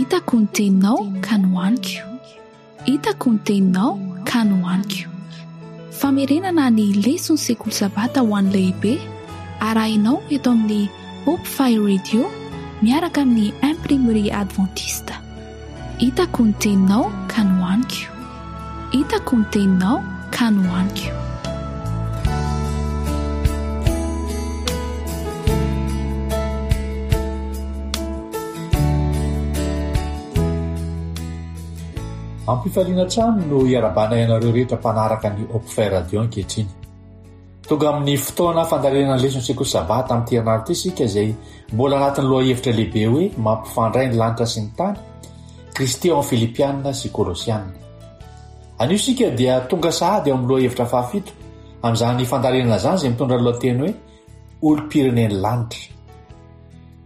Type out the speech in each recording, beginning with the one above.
Hitako ny teninao ka nohaniko. Hitako ny teninao ka nohaniko. Famerenana ny leson'ny sekoly sabata ho an'ny lehibe arahinao eto amin'ny Hope Fire Radio miaraka amin'ny Imprimerie Adventiste. Hitako ny teninao ka nohaniko. Hitako ny teninao ka nohaniko. Ampifaliana hatrany no iarabanay anareo rehetra mpanaraka ny Hopfire Radio ankehitriny. Tonga amin'ny fotoana fandalinana ny leson'ny sekoly Sabata amin'ity herinandro ity isika izay mbola anatin'ny lohahevitra lehibe hoe mampifandray ny lanitra sy ny tany, Kristy ao amin'ny Filipiana sy Kolosiana. Anio isika dia tonga sahady ao amin'ny lohahevitra fahafito amin'izany fandalinana izany izay mitondra ny lohateny hoe Olom-pirenen'ny lanitra.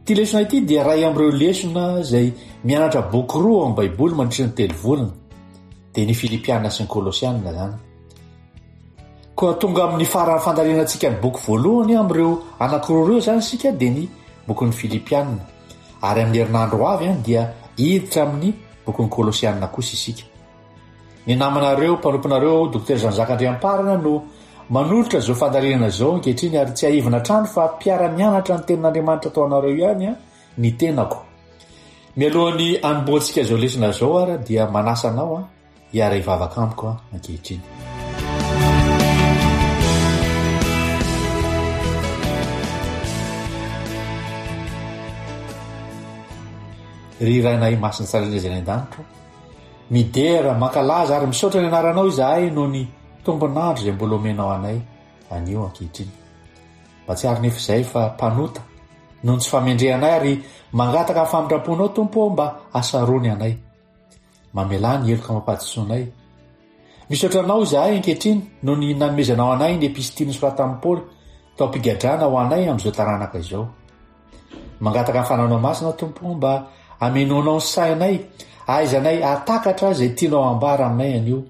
Ity lesona ity dia iray amin'ireo lesona izay mianatra boky roa ao amin'ny Baiboly mandritra ny telo volana, dia ny Filipiana sy ny Kolosiana izany. Koa tonga amin'ny faran'ny fandalinantsika ny boky voalohany amin'ireo anankiroa ireo izany isika dia ny bokin'ny Filipiana. Ary amin'ny herinandro ho avy dia hiditra amin'ny bokin'ny Kolosiana kosa isika. Ny namanareo, mpanomponareo, Dokotera Jean Jacques Andriamparana no manolotra izao fandalinana izao ankehitriny ary tsiahivina hatrany fa mpiara-mianatra ny tenin'Andriamanitra tao anareo ihany ny tenako. Mialohan'ny hanombohantsika izao lesona izao ary dia manasa anao hiara-hivavaka amiko ankehitriny. Ry Rainay Masina Tsara Indrindra izay any an-danitra, midera, mankalaza ary misaotra ny anaranao izahay noho ny tombon'andro izay mbola omenao anay anio ankehitriny. Mahatsiaro nefa izahay fa mpanota noho ny tsy famendrehanay ary mangataka ny famindram-ponao Tompo ô mba hasarony anay. Mamelà ny heloka amam-pahadisoanay. Misaotra Anao izahay ankehitriny noho ny nanomezanao anay ny epistily nosoratan'i Paoly tao am-pigadrana ho anay amin'izao taranaka izao. Mangataka ny Fananao Masina Tompo o mba hamenoanao ny sainay, ahaizanay hahatakatra izay tianao hambara aminay anio.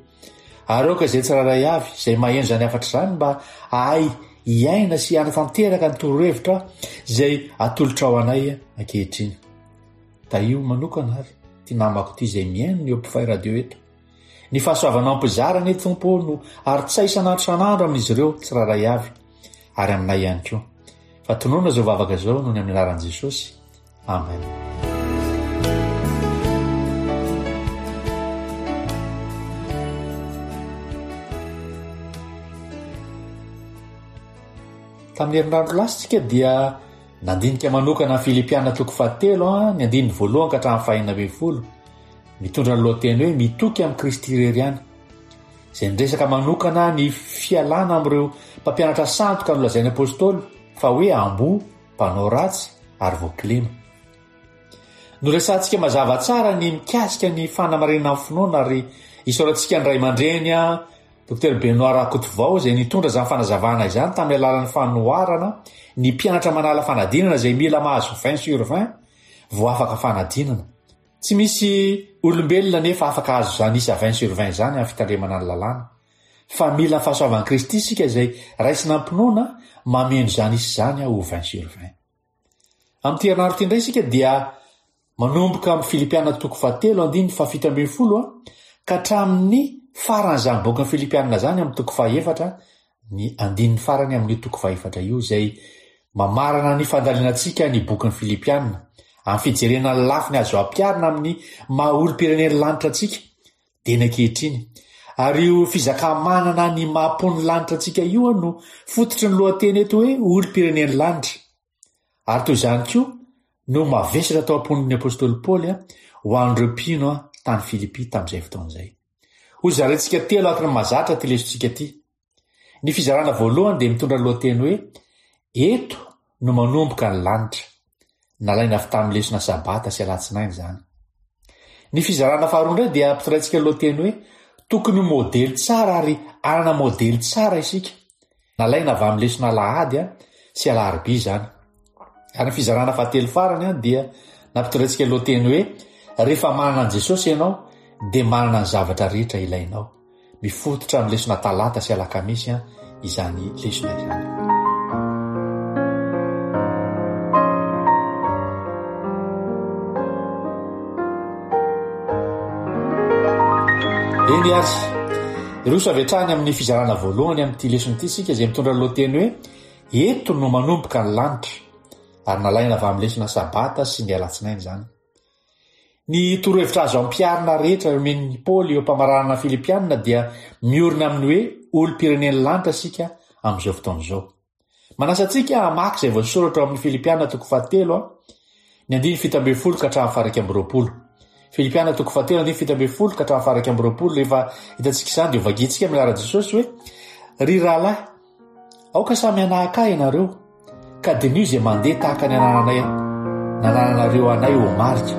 Ary aoka izay tsirairay avy izay maheno izany hafatra izany mba hahay hiaina sy hanatanteraka ny torohevitra izay atolotrao anay ankehitriny. Tahio manokana ary ity namako ity izay mihaino ny Hopfay Radio eto. Ny fahasoavanao mpizara anie Tompo ô no arotsay isan'andro isan'andro amin'izy ireo tsirairay avy ary aminay ihany koa. Fa tononina izao vavaka izao noho ny amin'ny anaran'i Jesosy. Amen. Tamin'ny herinandro lasa isika dia Nandinika manokana ny Filipiana toko fahatelo, ny andininy voalohany ka hatramin'ny fahenina ambinifolo, mitondra ny lohateny hoe Mitoky amin'i Kristy irery ihany, izay niresaka manokana ny fialana amin'ireo mpampianatra sandoka nolazain'ny apostoly fa hoe amboa, mpanao ratsy ary voakilema. Noresahantsika mazava tsara ny mikasika ny fanamarinana ny finoana ary isaorantsika ny ray aman-dreny Dokotera Benoit Rakotovao izay nitondra izany fanazavana izany tamin'ny alalan'ny fanoharana ny mpianatra manala fanadinana izay mila mahazo 20 sur 20 vao afaka fanadinana. Tsy misy olombelona anefa afaka hahazo izany isa 20 sur 20 izany amin'ny fitandremana ny lalàna. Fa mila ny fahasoavan'i Kristy isika izay raisina am-pinoana mameno izany isa izany ho 20 sur 20. Amin'ity herinandro ity indray isika dia manomboka amin'ny Filipiana toko fahatelo andininy fahafito ambinifolo ka hatramin'ny faran'izany bokin'ny Filipiana izany amin'ny toko fahefatra ny andininy farany amin'io toko fahefatra io izay mamarana ny fandalinantsika ny bokin'ny Filipiana amin'ny fijerena ny lafiny azo ampiharina amin'ny maha olom-pirenen'ny lanitra antsika dieny ankehitriny. Ary io fizaka-manana ny maha mponin'ny lanitra antsika io no fototry ny lohateny eto hoe olom-pirenen'ny lanitra. Ary toy izany koa no mavesatra tao am-pon'ny apostoly Paoly ho an'ireo mpino tany Filipy tamin'izay fotoana izay. Hozaraintsika telo araka ny mahazatra ity lesontsika ity. Ny fizarana voalohany dia mitondra ny lohateny hoe Eto no manomboka ny lanitra. Nalaina avy tamin'ny lesona Sabata sy Alatsinainy izany. Ny fizarana faharoa indray dia ampitondraintsika ny lohateny hoe Tokony ho modely tsara ary hanana modely tsara isika. Nalaina avy amin'ny lesona Alahady sy Alarobia izany. Ary ny fizarana fahatelo farany dia nampitondraintsika ny lohateny hoe Rehefa manana an'i Jesosy ianao dia manana ny zavatra rehetra ilainao. Mifototra amin'ny lesona talata sy alakamisy izany lesona izany. Eny ary, hiroso avy hatrany amin'ny fizarana voalohany amin'ity lesona ity isika izay mitondra ny lohateny hoe Eto no manomboka ny lanitra ary nalaina avy amin'ny lesona Sabata sy ny Alatsinainy izany. Ny torohevitra azo ampiharina rehetra omen'i Paoly eo am-pamaranana ny Filipiana dia miorina amin'ny hoe olom-pirenen'ny lanitra isika amin'izao fotoana izao. Manasa antsika hamaky izay voasoratra ao amin'ny Filipiana toko fahatelo, ny andininy 17 ka hatramin'ny faha-21. Filipiana toko fahatelo andininy 17 ka hatramin'ny faha-21, rehefa hitantsika izany dia hovakintsika amin'ny anaran'i Jesosy hoe, Ry rahalahy, aoka samy hanahaka ahy ianareo, ka diniho izay mandeha tahaka ny anananay nanananareo anay ho marika.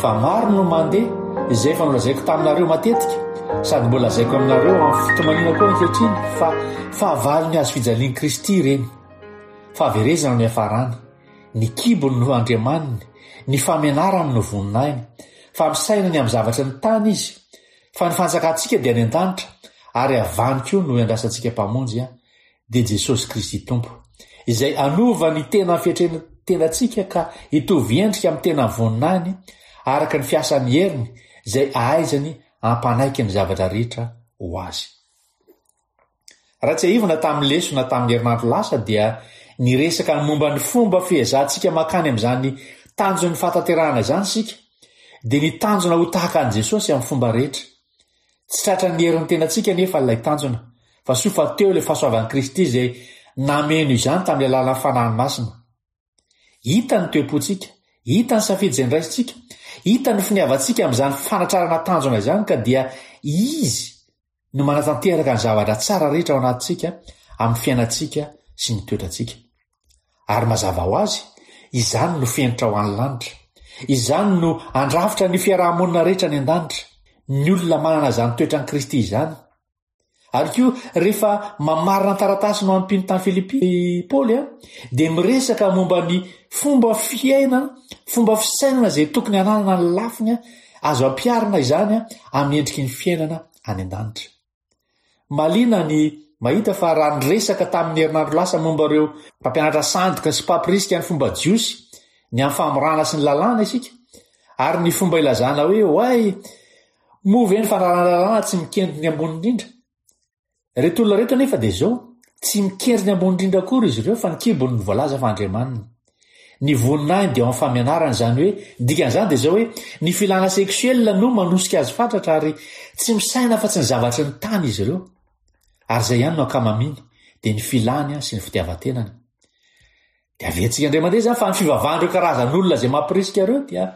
Fa maro no mandeha izay efa nolazaiko taminareo matetika, sady mbola lazaiko aminareo amin'ny fitomaniana koa ankehitriny, fa fahavalon'ny hazo fijalian'i Kristy ireny. Fahaverezana no iafarany, ny kibony no andriamaniny, ny famenarany no voninahiny, fa misaina ny amin'ny zavatry ny tany izy, fa ny fanjakantsika dia any an-danitra, ary avy any koa no iandrasantsika Mpamonjy, dia Jesosy Kristy Tompo, izay hanova ny tena fietren-tenantsika ka hitovy endrika amin'ny tena voninahiny araka ny fiasan'ny heriny izay ahaizany hampanaiky ny zavatra rehetra ho azy. Raha tsiahivina tamin'ny lesona tamin'ny herinandro lasa dia niresaka ny momba ny fomba fiezahantsika mankany amin'izany tanjon'ny fahatanterahana izany isika, dia ny tanjona ho tahaka an'i Jesosy amin'ny fomba rehetra. Tsy tratran'ny herin'ny tenantsika anefa ilay tanjona, fa soa fa teo ilay fahasoavan'i Kristy izay nameno izany tamin'ny alalan'ny Fanahiny Masina. Hita ny toe-pontsika, hita ny safidy izay noraisintsika, hita ny finiavantsika amin'izany fanatrarana tanjona izany ka dia Izy no manatanteraka ny zavatra tsara rehetra ao anatintsika amin'ny fiainantsika sy ny toetrantsika. Ary mazava ho azy, izany no fenitra ho an'ny lanitra. Izany no handrafitra ny fiaraha-monina rehetra any an-danitra. Ny olona manana izany toetran'i Kristy izany. Ary koa, rehefa mamarana ny taratasiny ho an'ny mpino tany Filipy i Paoly, dia miresaka momba ny fomba fiainana, fomba fisainana izay tokony hananana ny lafiny azo ampiharina izany amin'ny endriky ny fiainana any an-danitra. Mahaliana ny mahita fa raha niresaka tamin'ny herinandro lasa momba ireo mpampianatra sandoka sy mpampirisika ny fomba jiosy ny amin'ny famorana sy ny lalàna isika, ary ny fomba ilazana hoe oay, moa ve ny fanarahana lalàna tsy mikendry ny ambony indrindra? Ireto olona ireto anefa dia izao, tsy mikendry ny ambony indrindra akory izy ireo fa ny kibony no voalaza fa andriamaniny. Ny voninahiny dia ao amin'ny famianarany, izany hoe, ny dikan'izany dia izao hoe, ny filana sexuel no manosika azy fatratra ary tsy misaina afa-tsy ny zavatry ny tany izy ireo. Ary izay ihany no ankamamiany, dia ny filany sy ny fitiavan-tenany. Dia averintsika indray mandeha izany fa ny fivavahan'ireo karazan'olona izay mampirisika ireo dia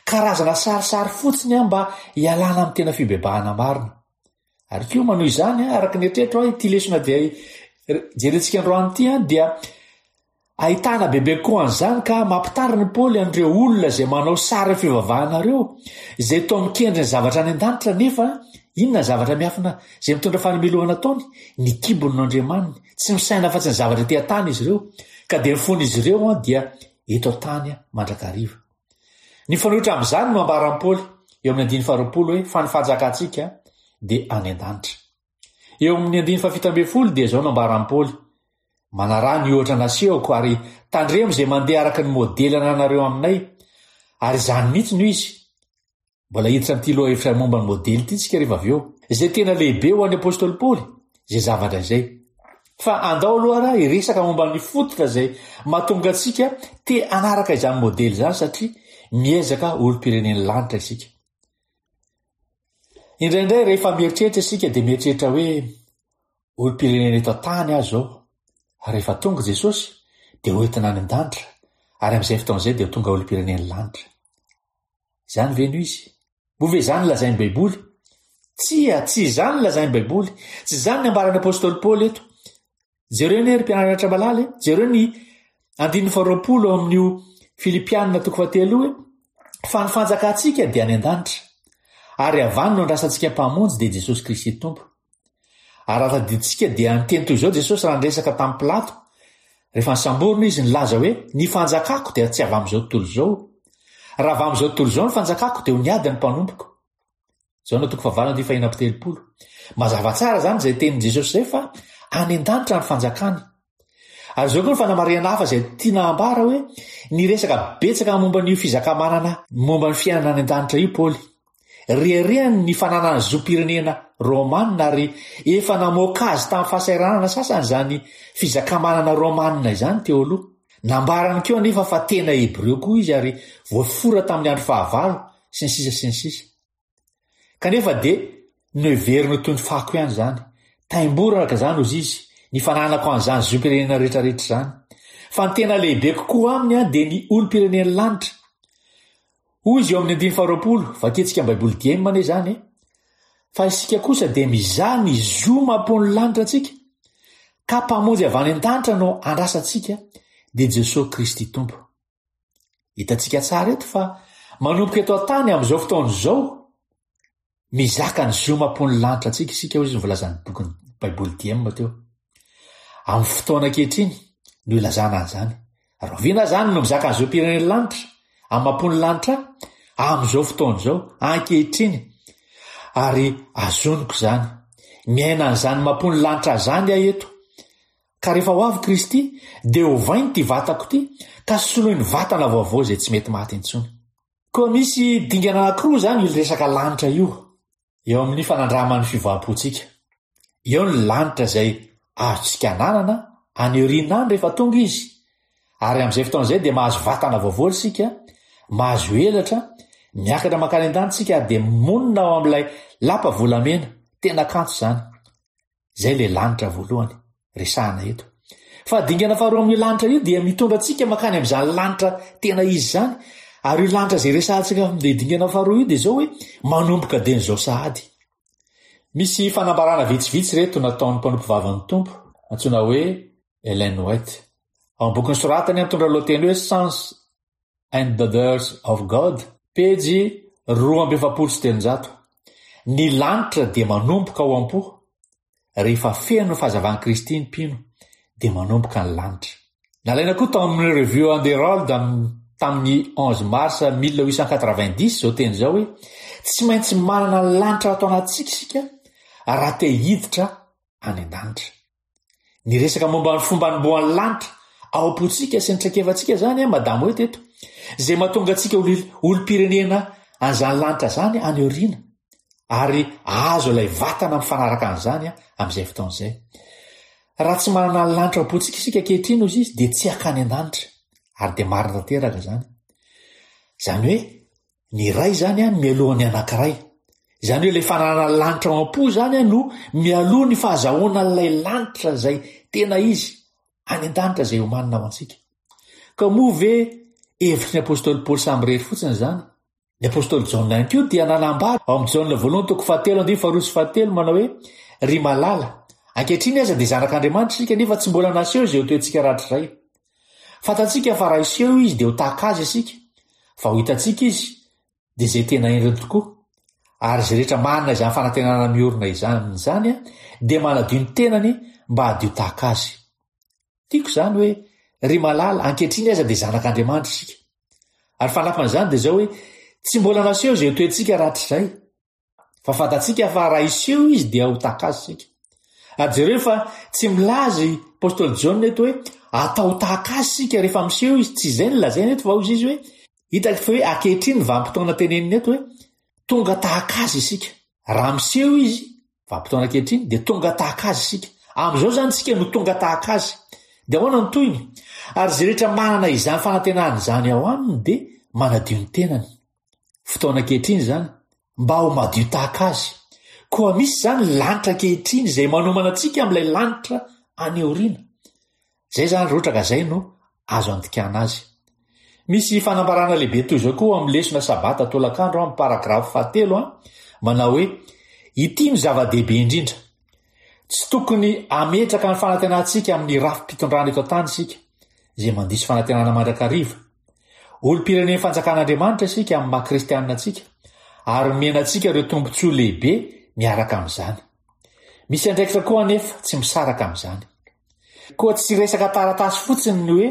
karazana sarisary fotsiny mba hialana amin'ny tena fibebahana marina. Ary koa manohy izany, araka ny eritreritro aho, ity lesona dia jerentsika androany ity dia ahitana bebe kokoa an'izany ka mampitarina i Paoly an'ireo olona izay manao sary fivavahana ireo, izay toa mikendry ny zavatra any an-danitra nefa inona ny zavatra miafina izay mitondra fanamelohana ataony? Ny kibony no andriamaniny, tsy misaina afa-tsy ny zavatra ety an-tany izy ireo, ka dia ny fon'izy ireo dia eto an-tany mandrakariva. Ny mifanohitra amin'izany no ambaran'i Paoly eo amin'ny andininy faharoapolo hoe fa ny fanjakantsika dia any an-danitra. Eo amin'ny andininy fahafito ambin'ny folo dia izao no ambaran'i Paoly, Manaraha ny ohatra nasehoko ary tandremo izay mandeha araka ny modely ananareo aminay. Ary izany mihitsy no izy. Mbola hiditra amin'ity lohahevitra momba ny modely ity isika rehefa avy eo. Izay tena lehibe ho an'ny apostoly Paoly, izay zavatra izay. Fa andao aloha ary hiresaka momba ny fototra izay mahatonga antsika te hanaraka izany modely izany satria miezaka olom-pirenen'ny lanitra isika. Indraindray rehefa mieritreritra isika dia mieritreritra hoe olom-pirenena eto an-tany aho izao, ary rehefa tonga Jesosy dia hoentina any an-danitra ary amin'izay fotoana izay dia ho tonga olom-pirenen'ny lanitra. Izany ve no izy? Moa ve izany no lazain'ny Baiboly? Tsia, tsy izany no lazain'ny Baiboly. Tsy izany ny ambaran'ny apostoly Paoly eto. Jereo anie ry mpianatra malala e, jereo ny andininy faharoapolo ao amin'io Filipianina toko fahatelo io hoe fa ny fanjakantsika dia any an-danitra, ary avy any no andrasantsika Mpamonjy dia Jesosy Kristy Tompo. Ary raha tadidintsika dia niteny toy izao Jesosy raha niresaka tamin'i Pilato, rehefa nisamborina izy, nilaza hoe, Ny fanjakako dia tsy avy amin'izao tontolo izao. Raha avy amin'izao tontolo izao ny fanjakako dia ho niady ny mpanompoko. Jaona toko fahavalo andininy fahenina amby telopolo. Mazava tsara izany izay tenin'i Jesosy izay fa any an-danitra ny fanjakany. Ary izao koa ny fanamarihana hafa izay tiana hambara hoe niresaka betsaka momba an'io fizaka-manana momba ny fiainana any an-danitra io Paoly. Reharehany ny fananany zom-pirenena romanina ary efa namoaka azy tamin'ny fahasahiranana sasany izany fizakamanana romanina izany teo aloha. Nambarany koa anefa fa tena Hebreo koa izy ary voafora tamin'ny andro fahavalo, sy ny sisa sy ny sisa. Kanefa dia noheveriny ho toy ny fako ihany izany. Taimboraka izany, hozy izy, ny fananako an'izany zom-pirenena rehetrarehetra izany. Fa ny tena lehibe kokoa aminy dia ny olom-pirenen'ny lanitra. Hoy izy eo amin'ny andininy faharoapolo, vakintsika amin'ny Baiboly Diem anie izany e! Fa isika kosa dia mizaha ny zo maha-mponin'ny lanitra antsika, ka Mpamonjy avy any an-danitra no andrasantsika, dia Jesoa Kristy Tompo. Hitantsika tsara eto fa manomboka eto an-tany amin'izao fotoana izao, Mizaka ny zo maha-mponin'ny lanitra antsika isika, hoy izy ny voalazan'ny bokin'ny Baiboly Diem teo. Amin'ny fotoana ankehitriny no ilazana an'izany. Rahoviana izany no mizaka ny zom-pirenen'ny lanitra, amin'ny maha-mponin'ny lanitra ahy? Amin'izao fotoana izao, ankehitriny. Ary azoniko izany. Miaina an'izany maha-mponin'ny lanitra ahy izany aho eto. Ka rehefa ho avy Kristy, dia hovainy ity vatako ity, ka soloiny vatana vaovao izay tsy mety maty intsony. Koa misy dingana anankiroa izany io resaka lanitra io eo amin'ny fanandraman'ny fiovam-pontsika. Eo ny lanitra izay azontsika ananana any aoriana any rehefa tonga izy, ary amin'izay fotoana izay dia mahazo vatana vaovao isika, mahazo elatra, miakatra mankany an-danitra isika ary dia monina ao amin'ilay lapa volamena. Tena kanto izany. Izay ilay lanitra voalohany resahana eto. Fa dingana faharoa amin'io lanitra io dia mitondra antsika mankany amin'izany lanitra tena izy izany. Ary io lanitra izay resahantsika amin'ilay dingana faharoa io dia izao hoe manomboka dieny izao sahady. Misy fanambarana vitsivitsy ireto nataon'ny mpanompovavin'ny Tompo antsoina hoe Ellen White. Ao amin'ny boky nosoratany mitondra lohateny hoe Sons and Daughters of God, pejy 342, Ny lanitra dia manomboka ao am-po, rehefa feno ny fahazavan'i Kristy ny mpino, dia manomboka ny lanitra. Nalaina koa tao amin'ny Review and Herald tamin'ny 11 mars 1890 izao teny izao hoe, Tsy maintsy manana ny lanitra ato anatintsika isika raha te hiditra any an-danitra. Niresaka momba ny fomba anombohan'ny lanitra ao am-pontsika sy ny traikefantsika izany an, Madame hoe teto. Izay mahatonga antsika ho olom-pirenena an'izany lanitra izany any aoriana. Ary ahazo ilay vatana mifanaraka an'izany amin'izay fotoana izay. Raha tsy manana ny lanitra ao am-pontsika isika ankehitriny hozy izy dia tsy hakany an-danitra. Ary dia marina tanteraka izany. Izany hoe Ny iray izany an mialoha ny anankiray. Izany hoe ilay fananana lanitra ao am-po izany an no mialoha ny fahazahoana an'ilay lanitra izay tena izy any an-danitra izay omanina ho antsika. Ka moa ve hevitry ny apostoly Paoly samirery fotsiny izany? Ny apostoly Jaona ihany koa dia nanambara ao amin'ny Jaona voalohany toko fahatelo andininy faharoa sy fahatelo manao hoe ry malala, ankehitriny aza dia zanak'Andriamanitra isika nefa tsy mbola naseho izay ho toetsika rahatrizay. Fantatsika fa raha hiseho izy dia ho tahaka azy isika, fa ho hitantsika izy dia izay tena endriny tokoa. Ary izay rehetra manana izany fanantenana miorina izany amin'izany dia manadio ny tenany mba hadio tahaka azy. Tiako izany hoe, ry malala, ankehitriny aza dia zanak'Andriamanitra isika. Ary fanampin'izany dia izao hoe, tsy mbola naseho izay ho toetsika rahatrizay. Fa fantatsika fa raha hiseho izy dia ho tahaka azy isika. Ary jereo fa tsy milaza i Apostoly Jaona eto hoe atao tahaka azy isika rehefa miseho izy, tsy izay no lazainy eto fa hoy izy hoe hitako fa hoe ankehitriny ny vanim-potoana teneniny eto hoe tonga tahaka azy isika. Raha miseho izy, vanim-potoana ankehitriny, dia tonga tahaka azy isika. Amin'izao izany isika no tonga tahaka azy. Dia ahoana ny tohiny? Ary izay rehetra manana izany fanantenana izany ao aminy dia manadio ny tenany. Fotoana ankehitriny izany, mba ho madio tahaka azy. Koa misy izany lanitra ankehitriny izay manomana antsika amin'ilay lanitra any aoriana. Izay izany rotraka izay no azo andikana azy. Misy fanambarana lehibe toy izao koa amin'ny lesona sabata tolakandro amin'ny paragrafy fahatelo manao hoe ity no zava-dehibe indrindra. Tsy tokony hametraka ny fanantenantsika amin'ny rafi-pitondrana eto an-tany isika, izay mandiso fanantenana mandrakariva. Olom-pirenen'ny Fanjakan'Andriamanitra isika amin'ny maha kristianina antsika, ary omena antsika ireo tombontsoa lehibe miaraka amin'izany. Misy andraikitra koa anefa tsy misaraka amin'izany. Koa tsy resaka taratasy fotsiny ny hoe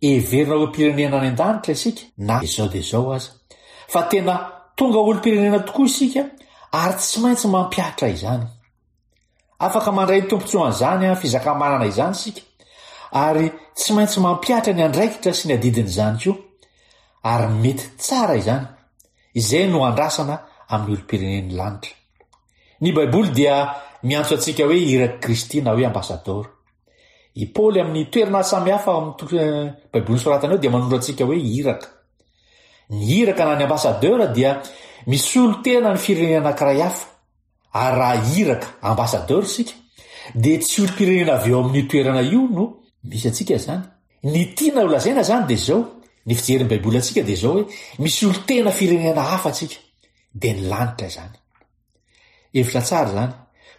heverina ho olom-pirenena any an-danitra isika na izao dia izao aza, fa tena tonga olom-pirenena tokoa isika ary tsy maintsy mampihatra izany. Afaka mandray ny tombontsoan'izany fizaka-manana izany isika ary tsy maintsy mampihatra ny andraikitra sy ny adidin'izany koa. Ary mety tsara izany. Izay no andrasana amin'ny olom-pirenen'ny lanitra. Ny Baiboly dia miantso antsika hoe irak'i Kristy na hoe ambasadaoro. I Paoly amin'ny toerana samihafa ao amin'ny toko Baiboly nosoratany ao dia manondro antsika hoe iraka. Ny iraka na ny ambassadeur dia misolo tena ny firenena anankiray hafa. Ary raha iraka, ambassadeur, isika dia tsy olom-pirenena avy eo amin'io toerana io no misy antsika izany. Ny tiana ho lazaina izany dia izao, ny fijerin'ny Baiboly antsika dia izao hoe misy olon-tena firenena hafa antsika, dia ny lanitra izany. Hevitra tsara izany.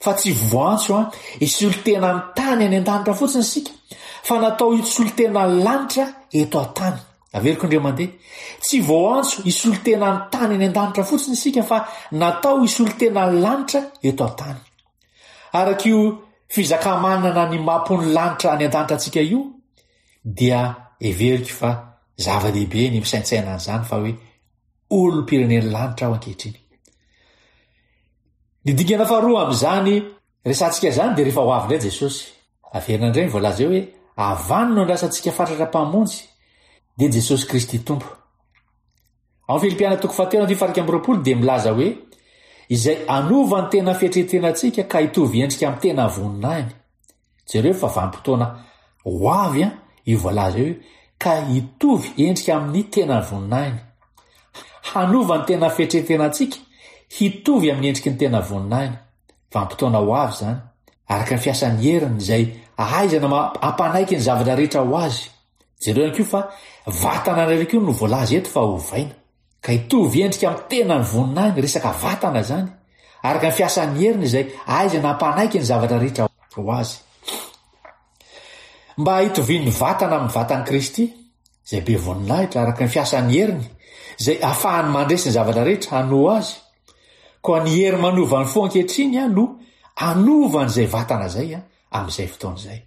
Fa tsy voantso an, hisolo tena ny tany any an-danitra fotsiny isika, fa natao hisolo tena ny lanitra eto an-tany. Averiko indray mandeha. Tsy voantso hisolo tena ny tany any an-danitra fotsiny isika fa natao hisolo tena ny lanitra eto an-tany. Araka io fizaka-manana ny maha-mponin'ny lanitra any an-danitra antsika io, dia heveriko fa zava-dehibe ny misaintsaina an'izany fa hoe olom-pirenen'ny lanitra aho ankehitriny. Ny dingana faharoa amin'izany resahantsika izany dia rehefa ho avy indray Jesosy. Averina indray ny voalaza eo hoe avy any no andrasantsika fatratra Mpamonjy, dia Jesosy Kristy Tompo. Ao amin'ny Filipiana toko fahatelo andininy faha 21 dia milaza hoe izay hanova ny tena fietretenantsika ka hitovy endrika amin'ny tena voninahiny. Jereo fa vanim-potoana ho avy io voalaza io ka hitovy endrika amin'ny tena voninahiny. Hanova ny tena fietretenantsika hitovy amin'ny endriky ny tena voninahiny. Vanim-potoana ho avy izany, araka ny fiasan'ny heriny izay ahaizana mampanaiky ny zavatra rehetra ho azy. Jereo ihany koa fa vatana iray koa no voalaza eto fa hovaina. Ka hitovy endrika amin'ny tenan'ny voninahiny, resaka vatana izany, araka ny fiasan'ny heriny izay ahaizana hampanaiky ny zavatra rehetra ho azy. Mba hitovian'ny vatana amin'ny vatan'i Kristy, izay be voninahitra, araka ny fiasan'ny heriny, izay ahafahany mandresy ny zavatra rehetra hanoa azy. Koa ny hery manova ny fo ankehitriny no hanova an'izay vatana izay amin'izay fotoana izay.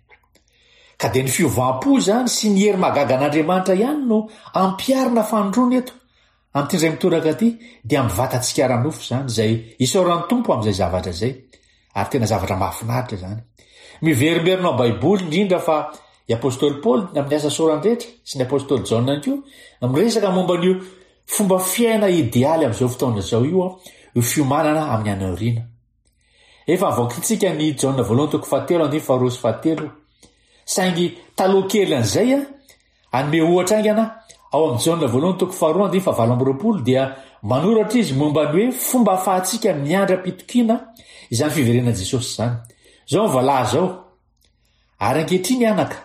Ka dia ny fiovam-po izany sy ny hery mahagaga an'Andriamanitra ihany no ampiharina fanindroany eto. Amin'ity indray mitoraka ity dia amin'ny vatantsika ara-nofo izany, izay isaoran'ny Tompo amin'izay zavatra izay. Ary tena zavatra mahafinaritra izany. Miverimberina ao Baiboly indrindra fa i Apostoly Paoly amin'ny asa sorany rehetra sy ny Apostoly Jaona ihany koa miresaka momba an'io fomba fiaina idealy amin'izao fotoana izao io, io fiomanana amin'ny any aoriana. Efa voakintsika ny Jaona voalohany toko fahatelo andininy faharoa sy fahatelo. Saingy taloha kely an'izay, hanome ohatra haingana, ao amin'ny Jaona voalohany toko faharoa andininy fahavalo amby 20 dia manoratra izy momba ny hoe fomba ahafahantsika miandry am-pitokiana izany fiverenan'i Jesosy izany. Izao ny voalaza ao, Ary ankehitriny anaka,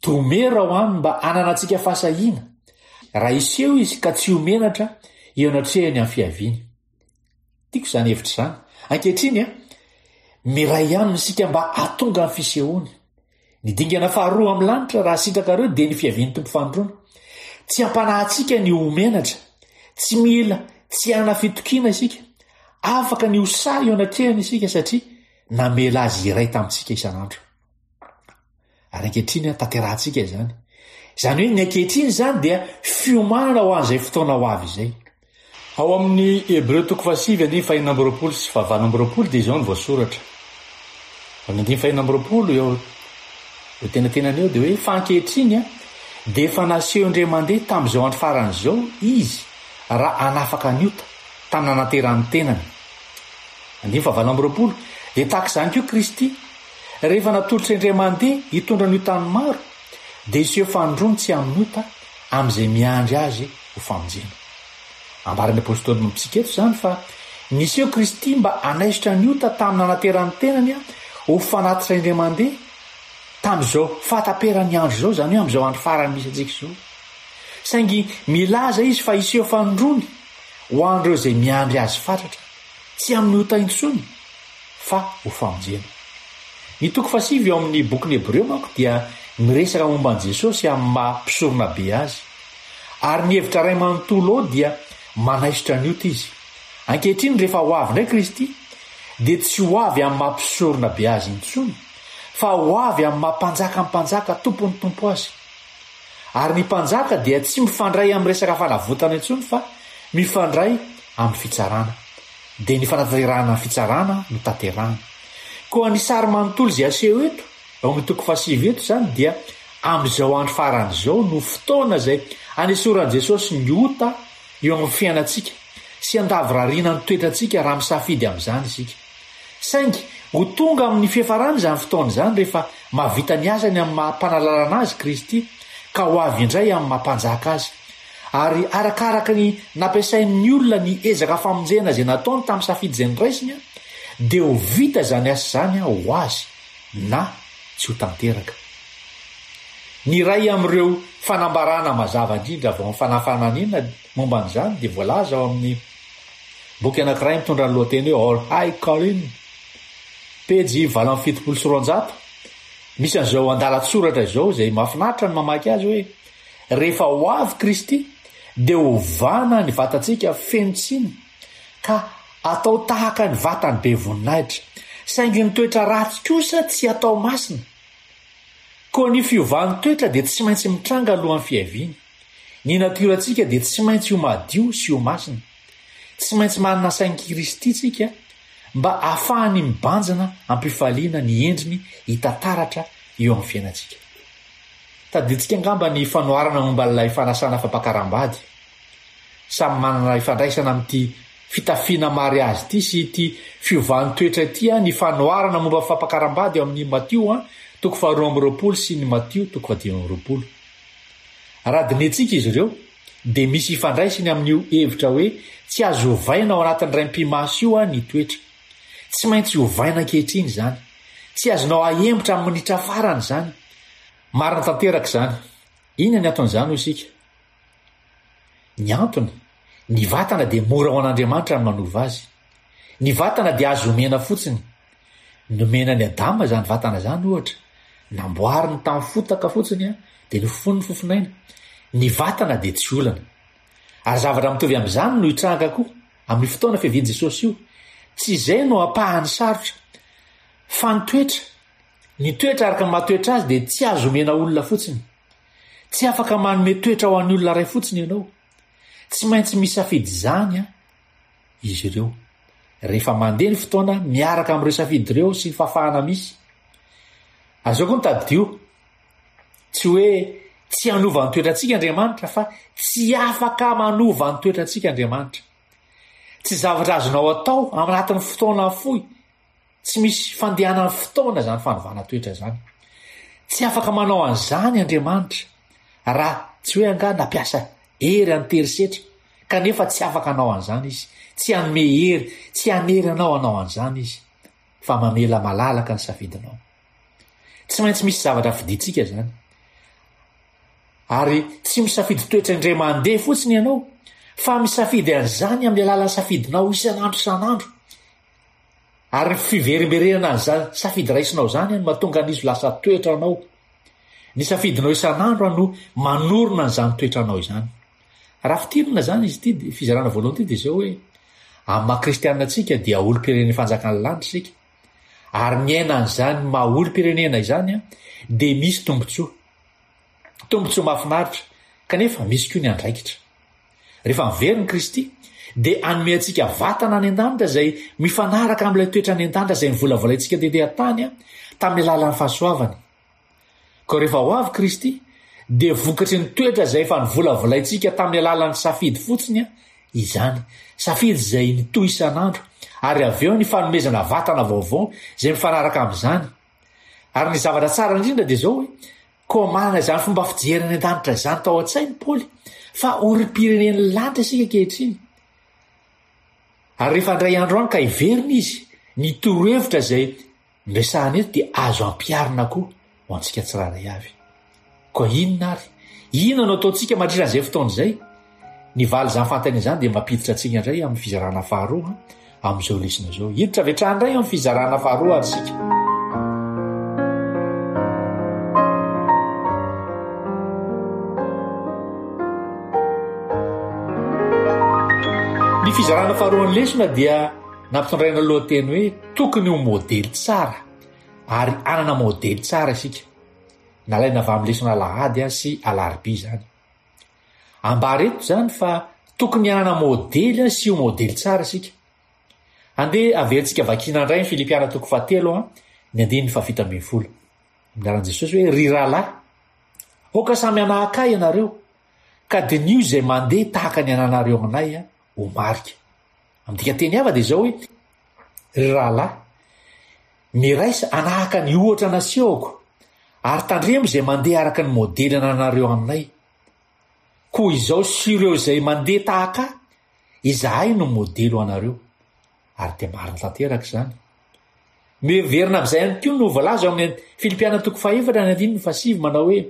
tomero ao aminy mba hananantsika fahasahiana, raha hiseho izy ka tsy ho menatra eo anatrehany amin'ny fiaviany. Tiako izany hevitra izany. Ankehitriny, miray aminy isika mba hahatonga ny fisehoany. Ny dingana faharoa amin'ny lanitra, raha sitrakareo, dia ny fiavian'ny Tompo fanindroany. Tsy hampanahy ny ho menatra. Tsy mila tsy hanana fitokiana isika. Afaka ny ho sahy eo anatrehany isika satria namela azy hiray tamintsika isan'andro. Ary ankehitriny tanterahantsika izany. Izany hoe ny ankehitriny izany dia fiomanana ho an'izay fotoana ho avy izay. Ao amin'ny Hebreo toko fahasivy andininy fahenina amby 20 sy fahavalo amby 20 dia izao no voasoratra. Amin'ny andininy fahenina amby 20 eo eo tenatenany eo dia hoe fa ankehitriny dia efa naseho indray mandeha tamin'izao andro farany izao izy raha hanafaka ny ota tamin'ny nananteran'ny tenany. Andininy fahavalo amby 20 dia tahaka izany koa Kristy Rehefa natolotra indray mandeha hitondra ny otan'ny maro, dia hiseho fanindroany tsy amin'ny ota amin'izay miandry azy ho famonjena. Ambaran'ny apostoly amintsika eto izany fa niseho Kristy mba hanaisotra ny ota tamin'ny nanateran'ny tenany ho fanatitra indray mandeha tamin'izao fahataperan'ny andro izao, izany hoe amin'izao andro farany misy antsika izao. Saingy milaza izy fa hiseho fanindroany ho an'ireo izay miandry azy fatratra, tsy amin'ny ota intsony, fa ho famonjena. Ny toko fahasivy ao amin'ny bokin'ny Hebreo manko dia miresaka momba an'i Jesosy amin'ny maha Mpisoronabe azy. Ary ny hevitra iray manontolo ao dia manaisotra ny ota izy. Ankehitriny rehefa ho avy indray Kristy dia tsy ho avy amin'ny maha Mpisoronabe azy intsony fa ho avy amin'ny maha Mpanjakan'ny mpanjaka, Tompon'ny tompo azy. Ary ny mpanjaka dia tsy mifandray amin'ny resaka fanavotana intsony fa mifandray amin'ny fitsarana. Dia ny fanatanterahana ny fitsarana no tanterahana. Koa ny sary manontolo izay aseho eto, ao amin'ny toko fahasivy eto izany dia amin'izao andro farany izao no fotoana izay anesoran'i Jesosy ny ota eo amin'ny fiainantsika. sy handavorariana ny toetrantsika raha misafidy amin'izany isika. Saingy ho tonga amin'ny fiafarany izany fotoana izany rehefa mahavita ny asany amin'ny maha Mpanalalana azy Kristy ka ho avy indray amin'ny maha Mpanjaka azy. Ary arakaraka ny nampiasain'ny olona ny ezaka famonjena izay nataony tamin'ny safidy izay noraisiny dia ho vita izany asa izany ho azy na tsy ho tanteraka. Ny iray amin'ireo fanambarana mazava indrindra avy ao amin'ny Fanahy Fananina momba an'izany dia voalaza ao amin'ny boky anankiray mitondra ny lohateny hoe Our High Calling, pejy 278. Misy an'izao andalan-tsoratra izao izay mahafinaritra ny mamaky azy hoe, Rehefa ho avy Kristy dia hovana ny vatantsika feno tsiny ka atao tahaka ny vatany be voninahitra, saingy ny toetra ratsy kosa tsy atao masina. Koa ny fiovan'ny toetra dia tsy maintsy mitranga alohan'ny fiaviany. Ny natiorantsika dia tsy maintsy ho madio sy ho masina. Tsy maintsy manana sain'i Kristy tsika mba hahafahany mibanjina am-pifaliana ny endriny hita taratra eo amin'ny fiainantsika. Tadidintsika angamba ny fanoharana momba ilay fanasana fampakaram-bady. Samy manana ifandraisana amin'ity fitafiana mariazy ity sy ity fiovan'ny toetra ity ny fanoharana momba ny fampakaram-bady ao amin'ny Matio toko faharoa amby roapolo sy ny Matio toko fahadimy amby roapolo. Raha dinihintsika izy ireo, dia misy ifandraisany amin'io hevitra hoe tsy azo ovaina ao anatin'ny raim-pimaso io ny toetra. Tsy maintsy ovaina ankehitriny izany. Tsy azonao ahemotra amin'ny minitra farany izany. Marina tanteraka izany. Inona ny anton'izany hoy isika? Ny antony, ny vatana dia mora ho an'Andriamanitra ny manova azy. Ny vatana dia azo omena fotsiny. Nomena an'i Adama izany vatana izany ohatra. Namboariny tamin'ny fotaka fotsiny dia nofofoniny fofonaina. Ny vatana dia tsy olana. Ary zavatra mitovy amin'izany no hitranga koa amin'io fotoana fiavian'i Jesosy io. Tsy izay no ampahany sarotra. Fa ny toetra, ny toetra araka ny maha toetra azy dia tsy azo omena olona fotsiny. Tsy afaka manome toetra ho an'ny olona iray fotsiny ianao. Tsy maintsy misafidy izany izy ireo. Rehefa mandeha ny fotoana, miaraka amin'ireo safidy ireo sy ny fahafahana misy. Aza koa ny tadidio, tsy hoe tsy hanova ny toetrantsika Andriamanitra fa tsy afaka manova ny toetrantsika Andriamanitra. Tsy zavatra azonao atao anatin'ny fotoana fohy Tsy misy fandehanan'ny fotoana izany fanovana toetra izany. Tsy afaka manao an'izany Andriamanitra raha tsy hoe angaha nampiasa hery an-terisetra, kanefa tsy afaka hanao an'izany Izy. Tsy hanome hery, tsy hanery anao hanao an'izany Izy, fa mamela malalaka ny safidinao. Tsy maintsy misy zavatra fidintsika izany. Ary tsy misafidy toetra indray mandeha fotsiny ianao, fa misafidy an'izany amin'ny alalan'ny safidinao isan'andro isan'andro. Ary ny fiverimberenana an'izany safidy raisinao izany no mahatonga an'izy ho lasa toetranao. Ny safidinao isan'andro no manorina an'izany toetranao izany. Raha fintinina izany izy ity fizarana voalohany ity dia izao hoe, amin'ny maha kristianina antsika dia olom-pirenen'ny fanjakan'ny lanitra isika. Ary miaina an'izany maha olom-pirenena izany dia misy tombontsoa. Tombontsoa mahafinaritra, kanefa misy koa ny andraikitra. Rehefa miverina i Kristy, dia hanome antsika vatana any an-danitra izay mifanaraka amin'ilay toetra any an-danitra izay novolavolaintsika tety an-tany tamin'ny alalan'ny fahasoavany. Koa rehefa ho avy Kristy, dia vokatry ny toetra izay efa novolavolaintsika tamin'ny alalan'ny safidy fotsiny izany, safidy izay nitohy isan'andro, ary avy eo ny fanomezana vatana vaovao izay mifanaraka amin'izany. Ary ny zavatra tsara indrindra dia izao hoe, Koa manana izany fomba fijery any an-danitra izany tao an-tsainy Paoly fa olom-pirenen'ny lanitra isika ankehitriny. Ary rehefa handray andro any ka hiverina izy, ny torohevitra izay noresahana eto dia azo ampiharina koa ho antsika tsirairay avy. Koa inona ary? Inona no ataontsika mandritra an'izay fotoana izay? Ny valin'izany fanontaniana izany dia mampiditra antsika indray amin'ny fizarana faharoa amin'izao lesona izao. Hiditra avy hatrany indray amin'ny fizarana faharoa ary isika. Ny fizarana faharoan'ny lesona dia nampitondraina lohateny hoe tokony ho modely tsara ary hanana modely tsara isika. Nalaina avy amin'ny lesona alahady sy alarobia izany. Ambara eto izany fa tokony hanana modely sy ho modely tsara isika. Andeha averintsika vakiana indray ny Filipiana toko fahatelo ny andininy fahafito ambin'ny folo. Amin'ny anaran'i Jesosy hoe, Ry rahalahy, aoka samy hanahaka ahy ianareo, ka diniho izay mandeha tahaka ny ananareo anay ho marika. Amin'ny dikanteny hafa dia izao hoe, Ry rahalahy, miraisa hanahaka ny ohatra nasehoko, ary tandremo izay mandeha araka ny modely anananareo aminay. Koa izao sy ireo izay mandeha tahaka ahy, izahay no modely ho anareo. Ary dia marina tanteraka izany. Miverina amin'izay ihany koa no voalaza ao amin'ny Filipiana toko fahefatra ny andininy fahasivy manao hoe,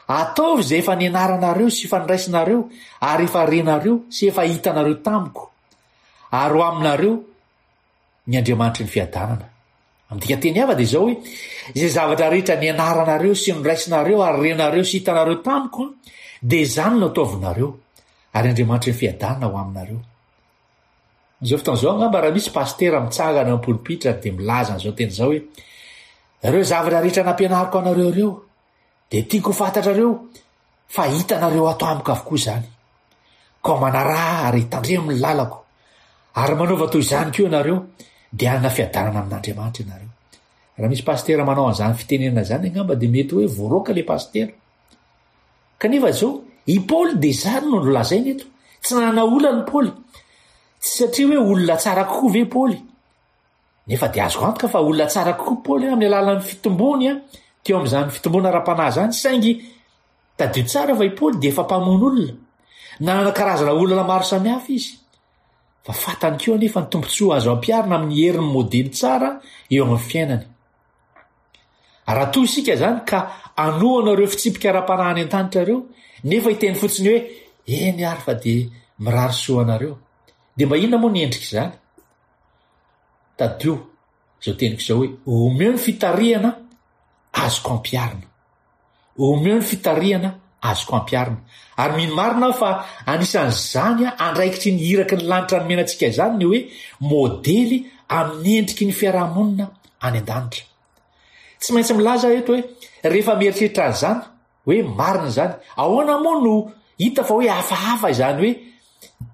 Ataovy izay efa nianaranareo sy efa niraisinareo ary efa renareo sy efa hitanareo tamiko, ary ho aminareo ny Andriamanitry ny fiadanana. Amin'ny dikanteny hafa dia izao hoe, izay zavatra rehetra nianaranareo sy noraisinareo ary renareo sy hitanareo tamiko dia izany no ataovinareo, ary Andriamanitry ny fiadanana ho aminareo. Amin'izao fotoana izao angamba raha misy pasitera mitsangana eo am-polipitra dia milaza an'izao teny izao hoe, ireo zavatra rehetra nampianariko anareo ireo dia tiako ho fantatrareo fa hitanareo ato amiko avokoa izany. Koa manaraha ary tandremo ny lalako, ary manaova toy izany koa ianareo, dia hanana fiadanana amin'Andriamanitra ianareo. Raha misy pasitera manao an'izany fitenenana izany angamba dia mety hoe voaroaka ilay pasitera. Kanefa izao, i Paoly dia izany no nolazainy eto. Tsy nanana olana i Paoly. Tsy satria hoe olona tsara kokoa ve i Paoly. Nefa dia azoko antoka fa olona tsara kokoa Paoly amin'ny alalan'ny fitombony teo amin'izany fitomboana ara-panahy izany, saingy tadidio tsara fa i Paoly dia efa mpamono olona. Nanana karazana olana maro samihafa izy. Fa fantany koa anefa ny tombontsoa azo ampiharina amin'ny herin'ny modely tsara eo amin'ny fiainany. Raha toa isika izany ka hanohana ireo fitsipika ara-panahy any an-danitra ireo, nefa hiteny fotsiny hoe, Eny ary fa dia mirary soa anareo. Dia mba inona moa ny endrik'izany? Tadidio izao teniko izao hoe, omeo ny fitarihana azoko ampiharina. Omeo ny fitarihana azoko ampiharina. Ary mino marina aho fa anisan'izany andraikitry ny iraky ny lanitra nomena antsika izany ny hoe modely amin'ny endriky ny fiarahamonina any an-danitra. Tsy maintsy milaza aho eto hoe rehefa mieritreritra an'izany hoe marina izany, ahoana moa no hita fa hoe hafahafa izany hoe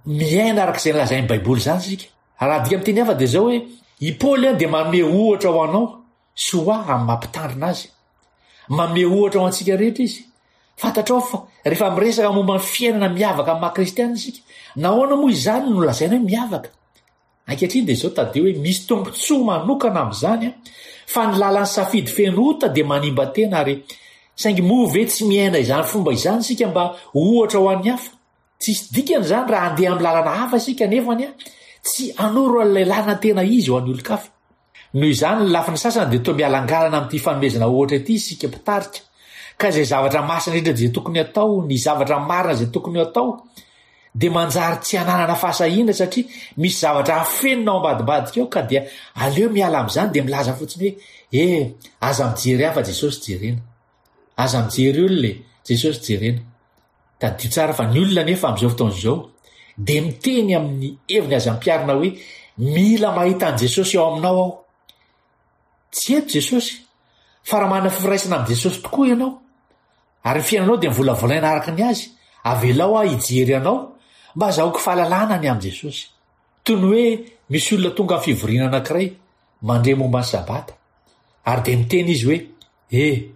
miaina araka izay lazain'ny Baiboly izany isika? Raha adika amin'ny teny hafa dia izao hoe i Paoly dia manome ohatra ho anao sy ho ahy amin'ny maha mpitandrina azy. Manome ohatra ho antsika rehetra izy. Fantatrao fa rehefa miresaka momba ny fiainana miavaka amin'ny maha kristiana isika, nahoana moa izany no lazaina hoe miavaka? Ankehitriny dia izao tadidio hoe misy tombontsoa manokana amin'izany fa ny lalan'ny safidy feno ota dia manimba tena ary saingy moa ve tsy miaina izany fomba izany isika mba ho ohatra ho an'ny hafa? Tsisy dikany izany raha handeha amin'ny lalana hafa isika nefany tsy hanoro an'ilay lalana tena izy ho an'ny olon-kafa. Noho izany, ny lafiny sasany dia toa mialangalana amin'ity fanomezana ohatra ity isika mpitarika, ka izay zavatra masina indrindra izay tokony hatao, ny zavatra marina izay tokony ho atao, dia manjary tsy hananana fahasahiana satria misy zavatra afenina ao ambadimbadika ao ka dia aleo miala amin'izany dia milaza fotsiny hoe, eh, aza mijery ahy fa Jesosy jerena. Aza mijery olona e, Jesosy jerena. Tadidio tsara fa ny olona anefa amin'izao fotoana izao dia miteny amin'ny heviny azo ampiharina hoe mila mahita an'i Jesosy ao aminao aho. Tsy eto Jesosy, fa raha manana firaisana amin'i Jesosy tokoa ianao, ary ny fiainanao dia volavolaina araka ny azy, avelao aho hijery anao mba azahoako fahalalana ny amin'i Jesosy. Toy ny hoe misy olona tonga amin'ny fivoriana anankiray, mandre momba ny Sabata, ary dia miteny izy hoe, Eh!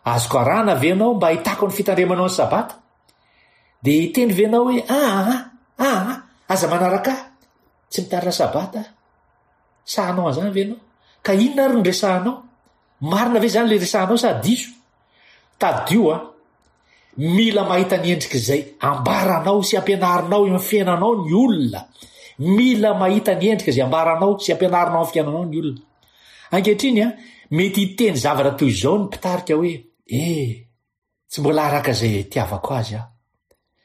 Azoko arahana ve ianao mba hahitako ny fitandremanao ny Sabata? Dia hiteny ve ianao hoe, Aa! Aa! Aza manaraka ahy! Tsy mitarina Sabata aho. Sa hanao an'izany ve ianao? Ka inona ary no resahanao? Marina ve izany ilay resahanao sa diso? Tadidio an! Mila mahita ny endrik'izay ambaranao sy ampianarinao eo amin'ny fiainanao ny olona. Mila mahita ny endrika izay ambaranao sy ampianarinao amin'ny fiainanao ny olona. Ankehitriny, mety hiteny zavatra toy izao ny mpitarika hoe, Eh, tsy mbola araka izay itiavako azy aho.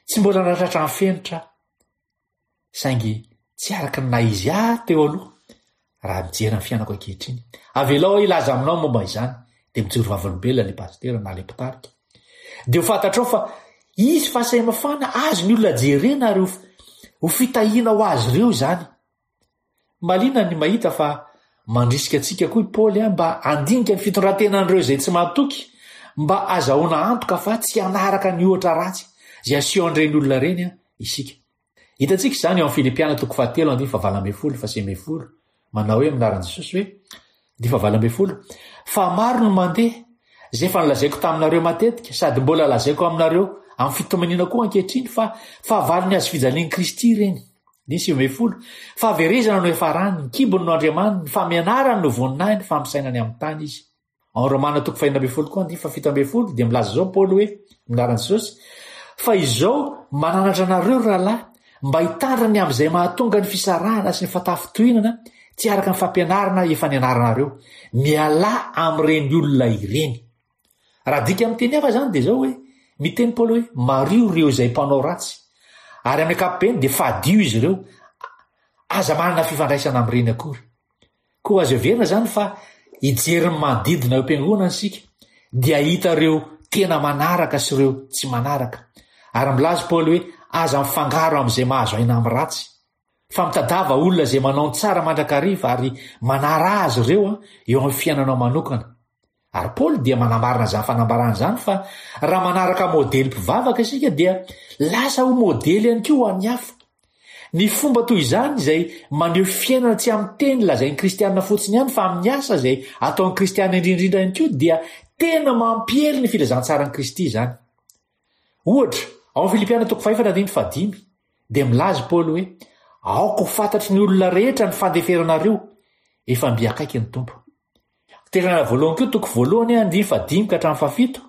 Tsy mbola nahatratra ny fenitra aho. Saingy tsy araka ny naha izy ahy teo aloha raha mijery ny fiainako ankehitriny. Avelao aho hilaza aminao momba izany, dia mijoro vavolombelona ilay pasitera na ilay mpitarika. Dia ho fantatrao fa hisy fahasamihafana azon'ny olona jerena ary ho fitahiana ho azy ireo izany. Mahaliana ny mahita fa mandrisika antsika koa i Paoly mba handinika ny fitondran-tenan'ireo izay tsy mahatoky mba hazahoana antoka fa tsy hanaraka ny ohatra ratsy izay asehon'ireny olona ireny isika. Hitantsika izany ao amin'ny Filipiana toko fahatelo andininy fahavalo ambin'ny folo faha-sivy ambin'ny folo, manao hoe amin'ny anaran'i Jesosy hoe, andininy fahavalo ambin'ny folo, Fa maro no mandeha, izay efa nolazaiko taminareo matetika, sady mbola lazaiko aminareo amin'ny fitomaniana koa ankehitriny fa fahavalon'ny hazofijalian'i Kristy ireny. Andininy 19, Fahaverezana no hiafarany, ny kibony no andriamaniny, ny famianarany no voninahiny, fa misaina ny amin'ny tany izy. Ao Romana toko fahenina ambin'ny folo koa andininy fahafito ambin'ny folo dia milaza izao Paoly hoe, amin'ny anaran'i Jesosy, Fa izao mananatra anareo ry rahalahy, mba hitandrina ny amin'izay mahatonga ny fisarahana sy ny fatafintohinana tsy araka ny fampianarana efa nianaranareo. Mialà amin'ireny olona ireny. Raha adika amin'ny teny hafa izany dia izao hoe, miteny Paoly hoe, mariho ireo izay mpanao ratsy. Ary amin'ny ankapobeny dia fadio izy ireo. Aza manana fifandraisana amin'ireny akory. Koa azo heverina izany fa hijery ny manodidina eo am-piangonana isika dia hahita ireo tena manaraka sy ireo tsy manaraka. Ary milaza i Paoly hoe aza mifangaro amin'izay mahazo aina amin'ny ratsy. Fa mitadiava olona izay manao ny tsara mandrakariva ary manaraha azy ireo eo amin'ny fiainanao manokana. Ary Paoly dia manamarina izany fanambarana izany fa raha manaraka modely mpivavaka isika dia lasa ho modely ihany koa ho an'ny hafa. Ny fomba toy izany izay maneho fiainana tsy amin'ny teny lazain'ny kristiana fotsiny ihany fa amin'ny asa izay ataon'ny kristiana indrindra ihany koa dia tena mampiely ny filazantsaran'i Kristy izany. Ohatra, ao amin'ny Filipiana toko fahefatra andininy fahadimy dia milaza i Paoly hoe, Aoka ho fantatry ny olona rehetra ny fandeferanareo, efa mby akaiky ny Tompo. Tesaloniana voalohany koa toko voalohany andininy fahadimy ka hatramin'ny fahafito.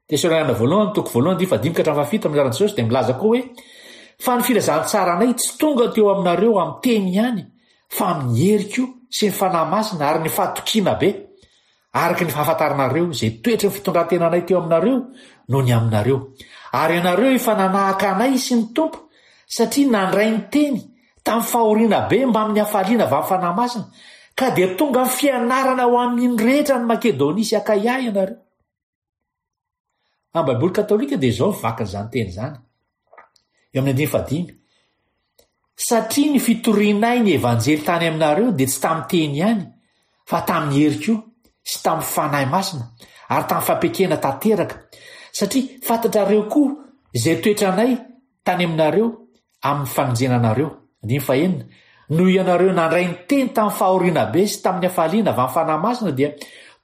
Tesaloniana voalohany toko voalohany andininy fahadimy ka hatramin'ny fahafito amin'ny anaran'i Jesosy dia milaza koa hoe fa ny filazantsaranay tsy tonga teo aminareo amin'ny teny ihany fa amin'ny hery koa sy ny fanahy masina ary ny fahatokiana be araka ny fahafantaranareo izay toetry ny fitondrantenanay teo aminareo noho ny aminareo. Ary ianareo efa nanahaka anay sy ny Tompo satria nandray ny teny tamin'ny fahoriana be mbamin'ny hafaliana avy amin'ny Fanahy Masina, ka dia tonga fianarana ho amin'ny rehetra any Makedonia sy Akaia ianareo. Amin'ny Baiboly katolika dia izao ny vakin'izany teny izany, eo amin'ny andininy fahadimy, Satria ny fitorianay ny Evanjely tany aminareo dia tsy tamin'ny teny ihany, fa tamin'ny hery koa, sy tamin'ny Fanahy Masina, ary tamin'ny fampiekena tanteraka, satria fantatrareo koa izay toetranay tany aminareo amin'ny famonjena anareo. Andininy fahenina, Noho ianareo nandray ny teny tamin'ny fahoriana be sy tamin'ny hafaliana avy amin'ny Fanahy Masina dia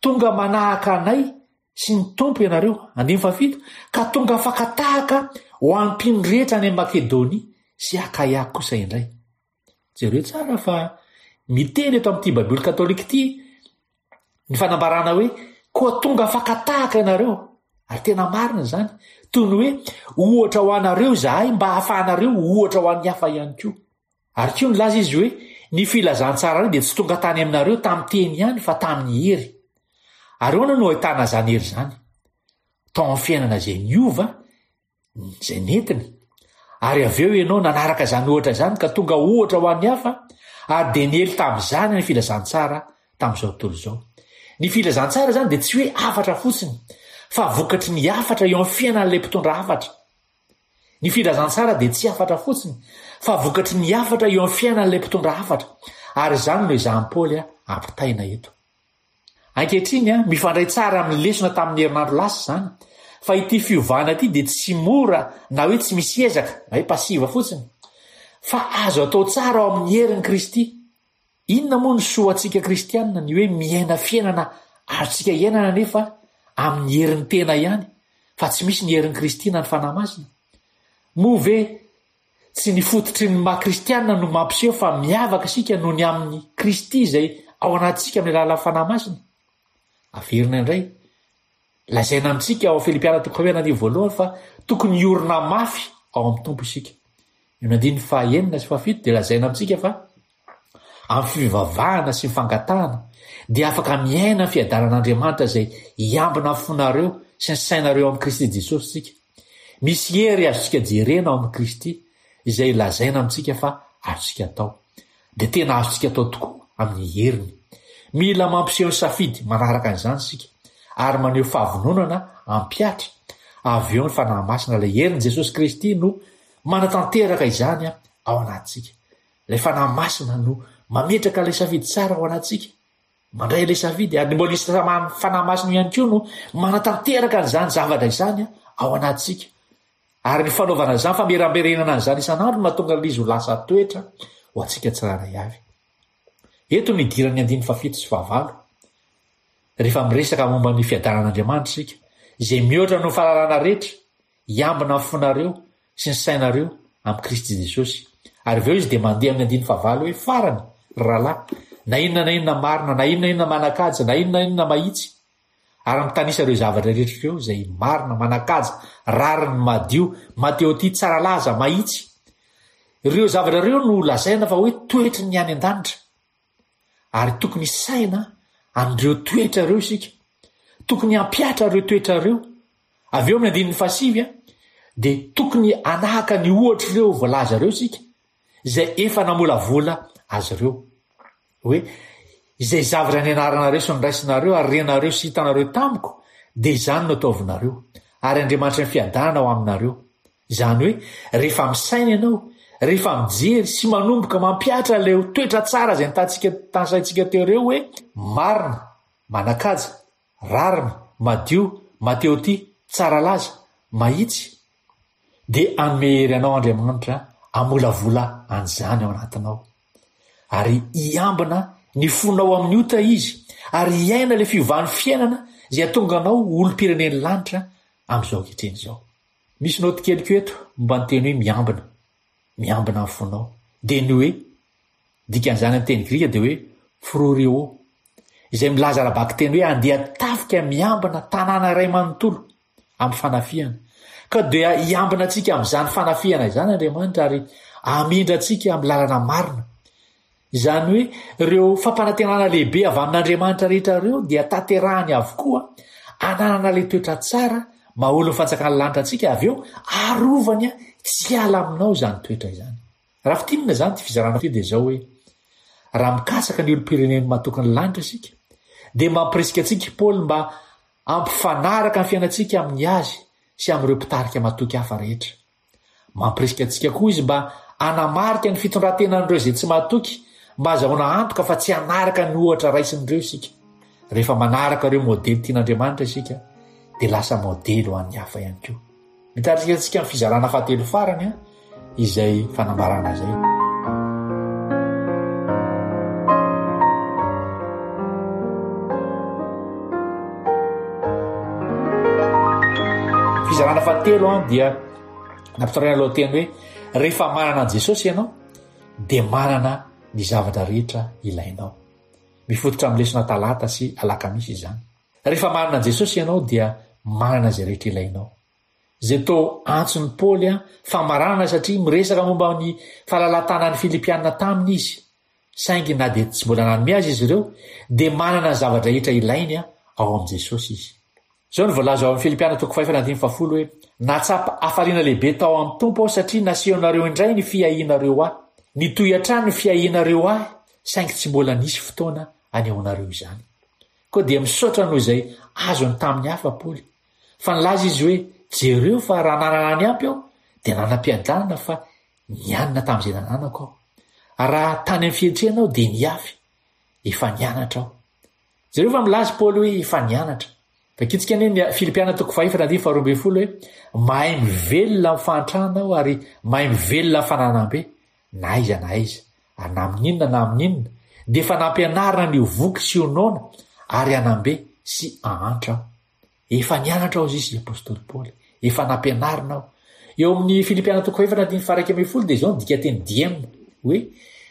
tonga manahaka anay sy ny Tompo ianareo. Andininy fahafito, Ka tonga afaka-tahaka ho an'ny mpino rehetra any Makedonia sy Akaia kosa indray. Jereo tsara fa miteny eto amin'ity Baiboly katolika ity ny fanambarana hoe koa tonga afaka-tahaka ianareo. Ary tena marina izany. Toy ny hoe ohatra ho anareo izahay mba hahafahanareo ho ohatra ho an'ny hafa ihany koa. Ary koa nilaza izy hoe ny filazantsaranay dia tsy tonga tany aminareo tamin'ny teny ihany fa tamin'ny hery. Ary ahoana no ahitana izany hery izany? Tao amin'ny fiainana izay niova izay nentiny, ary avy eo ianao nanaraka izany ohatra izany ka tonga ohatra ho an'ny hafa, ary dia niely tamin'izany ny filazantsara tamin'izao tontolo izao. Ny filazantsara izany dia tsy hoe hafatra fotsiny, fa vokatry ny hafatra eo amin'ny fiainan'ilay mpitondra hafatra. Ny filazantsara dia tsy hafatra fotsiny, fa vokatry ny hafatra eo amin'ny fiainan'ilay mpitondra hafatra, ary izany no ezahan'i Paoly ampitaina eto. Ankehitriny, mifandray tsara amin'ny lesona tamin'ny herinandro lasa izany, fa ity fiovana ity dia tsy mora na hoe tsy misy ezaka, na hoe passive fotsiny, fa azo atao tsara ao amin'ny herin'i Kristy. Inona moa no soa ho antsika kristiana ny hoe miaina fiainana azontsika iainana nefa amin'ny herin'ny tena ihany, fa tsy misy ny herin'i Kristy na ny Fanahy Masina? Moa ve Tsy ny fototry ny maha kristiana no mampiseho fa miavaka isika noho ny amin'i Kristy izay ao anatintsika amin'ny alalan'ny Fanahy Masina. Averina indray, lazaina amintsika ao Filipiana toko fahenina andininy voalohany fa tokony hiorina mafy ao amin'ny Tompo isika. Eo amin'ny andininy fahenina sy fahafito dia lazaina amintsika fa amin'ny fivavahana sy ny fangatahana dia afaka miaina ny fiadanan'Andriamanitra izay hiambina ny fonareo sy ny sainareo amin'i Kristy Jesosy isika. Misy hery azontsika jerena ao amin'i Kristy izay lazaina amintsika fa azontsika atao. Dia tena azontsika atao tokoa amin'ny heriny. Mila mampiseho ny safidy manaraka an'izany isika ary maneho fahavononana hampihatra avy eo ny Fanahy Masina ilay herin'i Jesosy Kristy no manatanteraka izany ao anatintsika. Ilay Fanahy Masina no mametraka ilay safidy tsara ao anatintsika, mandray ilay safidy, ary ny mbola hisy Fanahy Masina ihany koa no manatanteraka an'izany zavatra izany ao anatintsika. Ary ny fanaovana izany, fameramberenana an'izany isan'andro no mahatonga an'ilay izy ho lasa toetra ho antsika tsirairay avy. Eto no idiran'ny andininy fahafito sy fahavalo. Rehefa miresaka momba ny fiadanan'Andriamanitra isika, izay mihoatra noho ny fahalalana rehetra, hiambina ny fonareo sy ny sainareo amin'i Kristy Jesosy. Ary avy eo izy dia mandeha amin'ny andininy fahavalo hoe, Farany, ry rahalahy, na inona na inona marina, na inona na inona manan-kaja, na inona na inona mahitsy, ary mitanisa ireo zavatra rehetra ireo izay marina, manan-kaja, rariny, madio, mateotia, tsara laza, mahitsy. Ireo zavatra ireo no lazaina fa hoe toetry ny any an-danitra. Ary tokony hisaina an'ireo toetra ireo isika. Tokony hampihatra ireo toetra ireo. Avy eo amin'ny andininy fahasivy dia tokony hanahaka ny ohatr'ireo voalaza ireo isika, izay efa namolavola azy ireo. Hoe, izay zavatra nianaranareo sy noraisinareo ary renareo sy hitanareo tamiko, dia izany no ataovinareo. Ary Andriamanitry ny fiadanana ho aminareo. Izany hoe, rehefa misaina ianao, rehefa mijery sy manomboka mampihatra ilay toetra tsara izay nitantsika tanisaintsika teo ireo hoe, marina, manan-kaja, rariny, madio, mateotia, tsara laza, mahitsy, dia hanome hery anao Andriamanitra hamolavola an'izany ao anatinao. Ary hiambina ny fonao amin'ny ota Izy, ary hiaina ilay fiovan'ny fiainana izay hahatonga anao ho olom-pirenen'ny lanitra amin'izao ankehitriny izao. Misy naoty kely koa eto momba ny teny hoe miambina. Miambina ny fonao. Dia ny hoe, dikan'izany amin'ny teny grika dia hoe phroureo, izay milaza ara-bakiteny hoe andeha tafika miambina tanàna iray manontolo amin'ny fanafihana. Ka dia hiambina antsika amin'izany fanafihana izany Andriamanitra ary hamindra antsika amin'ny lalana marina. Izany hoe ireo fampanantenana lehibe avy amin'Andriamanitra rehetra ireo dia tanterahany avokoa, ananana ilay toetra tsara maha olon'ny fanjakan'ny lanitra antsika avy eo arovany tsy hiala aminao izany toetra izany. Raha fintinina izany ity fizarana ity dia izao hoe, raha mikatsaka ny olom-pirenen'ny matoky ny lanitra isika dia mampirisika antsika i Paoly mba hampifanaraka ny fiainantsika amin'ny azy sy amin'ireo mpitarika matoky hafa rehetra. Mampirisika antsika koa izy mba hanamarika ny fitondran-tenan'ireo izay tsy mahatoky, mba hazahoana antoka fa tsy hanaraka ny ohatra raisin'ireo isika. Rehefa manaraka ireo modely tian'Andriamanitra isika, dia lasa modely ho an'ny hafa ihany koa. Mitarika antsika amin'ny fizarana fahatelo farany izay fanambarana izay. Fizarana fahatelo dia nampitondraina lohateny hoe rehefa manana an'i Jesosy ianao dia manana ny zavatra rehetra ilainao. Mifototra amin'ny lesona talata sy alakamisy izany. Rehefa manana an'i Jesosy ianao dia manana izay rehetra ilainao. Izay toa antson'i Paoly famaranana satria miresaka momba ny fahalalahan-tanan'ny Filipiana taminy izy. Saingy na dia tsy mbola nanome azy izy ireo, dia manana ny zava-drehetra ilainy ao amin'i Jesosy izy. Izao no voalaza ao amin'ny Filipiana toko fahefatra andininy fahafolo hoe, Nahatsapa hafaliana lehibe tao amin'ny Tompo aho satria nasehonareo indray ny fiahianareo ahy. Nitohy hatrany ny fiahianareo ahy, saingy tsy mbola nisy fotoana hanehoanareo izany. Koa dia misaotra noho izay azony tamin'ny hafa Paoly. Fa nilaza izy hoe, Jereo fa raha nanana ny ampy aho, dia nanam-piadanana fa Nianina tamin'izay nananako aho. Raha tany amin'ny fihentrena aho dia niafy. Efa nianatra aho. Jereo fa milaza i Paoly hoe efa nianatra. Vakintsika anie ny Filipiana toko fahefatra andininy faharoa ambin'ny folo hoe mahay mivelona amin'ny fahantrana aho ary mahay mivelona amin'ny fananam-be, na aiza na aiza, ary na amin'inona na amin'inona, dia efa nampianarina ny ho voky sy ho noana ary hanam-be sy hahantra aho. Efa nianatra aho izy apostoly Paoly. Efa nampianarina aho. Eo amin'ny Filipiana toko fahefatra andininy faha-11 dia izao ny dikanteny diem hoe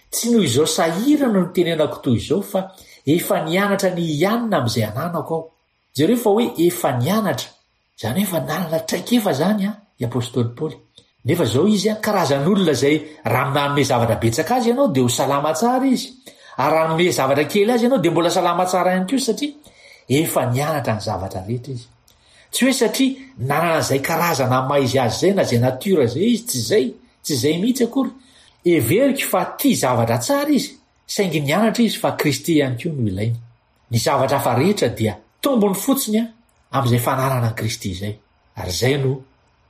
tsy noho izao sahirana no nitenenako toy izao fa efa nianatra ny hianina amin'izay ananako aho. Jereo fa hoe efa nianatra. Izany hoe efa nanana traikefa izany i apostoly Paoly. Nefa izao izy an, karazan'olona izay raha manome zavatra betsaka azy ianao dia ho salama tsara izy, ary raha hanome zavatra kely azy ianao dia mbola salama tsara ihany koa satria efa nianatra ny zavatra rehetra izy. Tsy hoe satria nanana izay karazana maha izy azy izay na izay nature izay izy, tsy izay, tsy izay mihitsy akory. Heveriko fa tia zavatra tsara izy, saingy nianatra izy fa Kristy ihany koa no ilainy. Ny zavatra hafa rehetra dia tombony fotsiny amin'izay fananana an'i Kristy izay. Ary izay no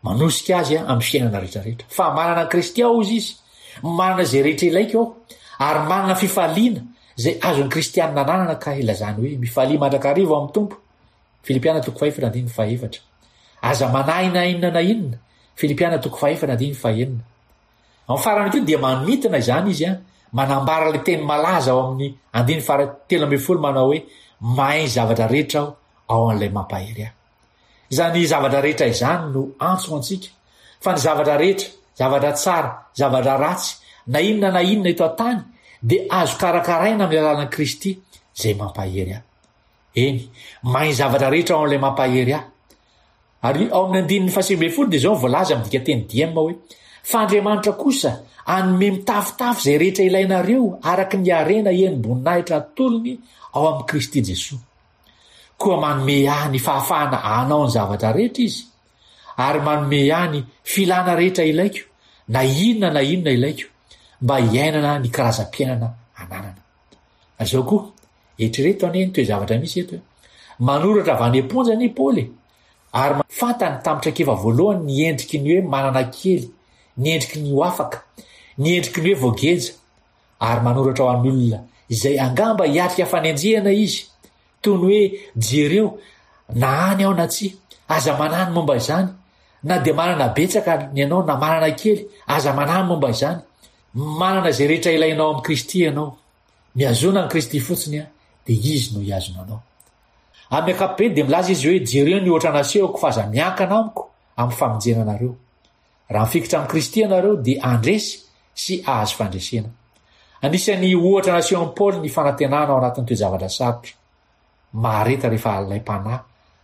manosika azy amin'ny fiainana rehetra rehetra. Fa manana an'i Kristy aho, hozy izy, manana izay rehetra ilaiko aho, ary manana fifaliana izay azon'ny kristianina ananana ka ilazany hoe mifalia mandrakariva ao amin'ny Tompo. Filipiana toko fahefatra andininy fahefatra. Aza manahy na inona na inona. Filipiana toko fahefatra andininy fahenina. Amin'ny farany koa dia manintona izany izy manambara ilay teny malaza ao amin'ny andininy faha 13 manao hoe mahay ny zavatra rehetra aho ao an'ilay mampahery ahy. Izany zavatra rehetra izany no antso ho antsika, fa ny zavatra rehetra, zavatra tsara, zavatra ratsy, na inona na inona eto an-tany dia azo karakaraina amin'ny alalan'i Kristy izay mampahery ahy. Eny, mahay ny zavatra rehetra ao amin'ilay mampahery ahy. Ary ao amin'ny andininy faha-19 dia izao no voalaza amin'ny dikanteny diem hoe, Fa Andriamanitra kosa hanome mitafotafo izay rehetra ilainareo araka ny harena henim-boninahitra atolony ao amin'i Kristy Jesoa. Koa manome ahy ny fahafahana hanao ny zavatra rehetra Izy, ary manome ahy ny filana rehetra ilaiko, na inona na inona ilaiko, mba hiainana ny karazam-piainana ananana. Ary izao koa, eritrereto anie ny toe-javatra misy eto e. Manoratra avy any am-ponja anie i Paoly e, ary fantany tamin'ny traikefa voalohany ny endriky ny hoe manana kely, ny endriky ny ho afaka, ny endriky ny hoe voageja, ary manoratra ho an'ny olona izay angamba hiatrika fanenjehana izy, toy ny hoe jereo na any aho na tsia, aza manahy ny momba izany, na dia manana betsaka ny anao na manana kely, aza manahy ny momba izany. Manana izay rehetra ilainao amin'i Kristy ianao. Mihazona an'i Kristy fotsiny dia Izy no hihazona anao. Amin'ny ankapobeny dia milaza izy hoe jereo ny ohatra nasehoko fa aza miankina amiko amin'ny famonjena anareo. Raha mifikitra amin'i Kristy ianareo dia handresy sy hahazo fandresena. Anisan'ny ohatra nasehon'i Paoly ny fanantenana ao anatin'ny toe-javatra sarotra. Mahareta rehefa alaim-panahy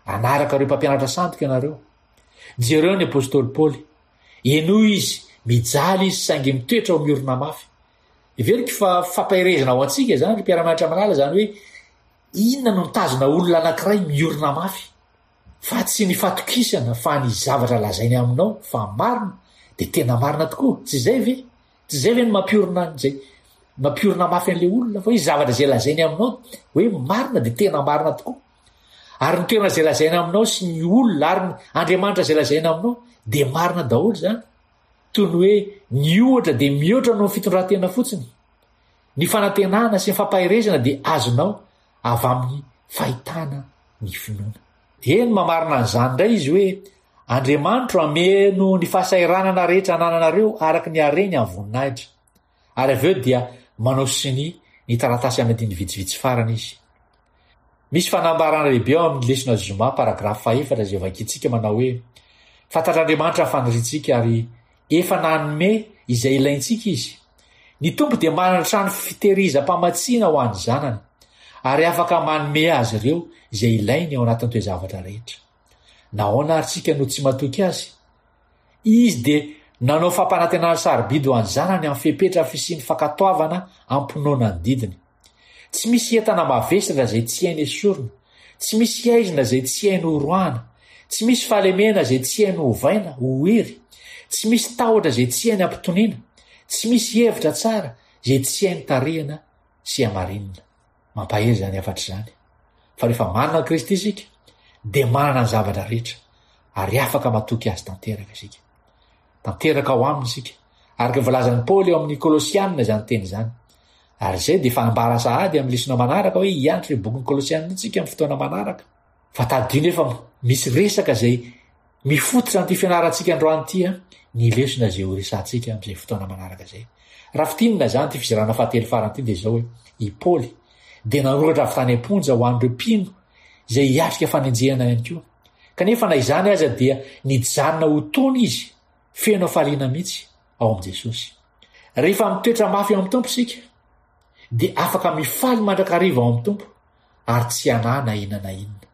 hanaraka ireo mpampianatra sandoka ianareo. Jereo ny apostoly Paoly. Henoy izy, mijaly izy saingy mitoetra ho miorina mafy. Heveriko fa fampaherezana ho antsika izany ry mpiara-mianatra malala izany hoe inona no mitazona olona anankiray miorina mafy. Fa tsy ny fatokisana fa ny zavatra lazainy aminao fa marina dia tena marina tokoa, tsy izay ve? Tsy izay ve no mampiorina an'izay mampiorina mafy an'ilay olona fa hoe zavatra izay lazainy aminao hoe marina dia tena marina tokoa. Ary ny toerana izay lazaina aminao sy ny olona ary ny Andriamanitra izay lazaina aminao dia marina daholo izany. Toy ny hoe ny ohatra dia mihoatra noho ny fitondran-tena fotsiny. Ny fanantenana sy ny fampaherezana dia azonao avy amin'ny fahitana ny finoana. Eny, mamarina an'izany indray izy hoe, Andriamanitro hameno ny fahasahiranana rehetra anananareo araka ny hareny amin'ny voninahitra. Ary avy eo dia manao sonia ny taratasy amin'ny andininy vitsivitsy farany izy. Misy fanambarana lehibe ao amin'ny lesona zoma, paragrafy fahefatra izay vakintsika manao hoe, Fantatr'Andriamanitra ny faniriantsika ary Efa nanome izay ilaintsika Izy. Ny Tompo dia manana trano fitehirizam-pamatsiana ho an'ny zanany, ary afaka manome azy ireo izay ilainy ao anatin'ny toe-javatra rehetra. Nahoana àry isika no tsy matoky Azy? Izy dia nanao fampanantenana sarobidy ho an'ny zanany amin'ny fepetra fisian'ny fankatoavana am-pinoana ny didiny. Tsy misy entana mavesatra izay tsy hainy esorina, tsy misy haizina izay tsy hainy horoahana, tsy misy fahalemena izay tsy hainy hovaina ho hery, tsy misy tahotra izay tsy hainy ampitoniana, tsy misy hevitra tsara izay tsy hainy tarihina sy hamarinina. Mampahery izany hafatra izany, fa rehefa manana an'i Kristy isika, dia manana ny zavatra rehetra, ary afaka matoky Azy tanteraka isika. Tanteraka ao aminy isika, araka ny voalazan'i Paoly ao amin'ny Kolosiana izany teny izany. Ary izay dia efa ambara sahady amin'ny lesona manaraka hoe hianatra io bokin'ny Kolosiana io isika amin'ny fotoana manaraka. Fa tadidio nefa misy resaka izay mifototra an'ity fianarantsika androany ity an, ny lesona izay ho resahantsika amin'izay fotoana manaraka izay. Raha fintinina izany ity fizarana fahatelo farany ity dia izao hoe, i Paoly dia nanoratra avy tany am-ponja ho an'ireo mpino izay hiatrika fanenjehana ihany koa. Kanefa na izany aza dia nijanona ho tony izy, feno hafaliana mihitsy ao amin'i Jesosy. Rehefa mitoetra mafy ao amin'ny Tompo isika, dia afaka mifaly mandrakariva ao amin'ny Tompo ary tsy hanahy na inona na inona.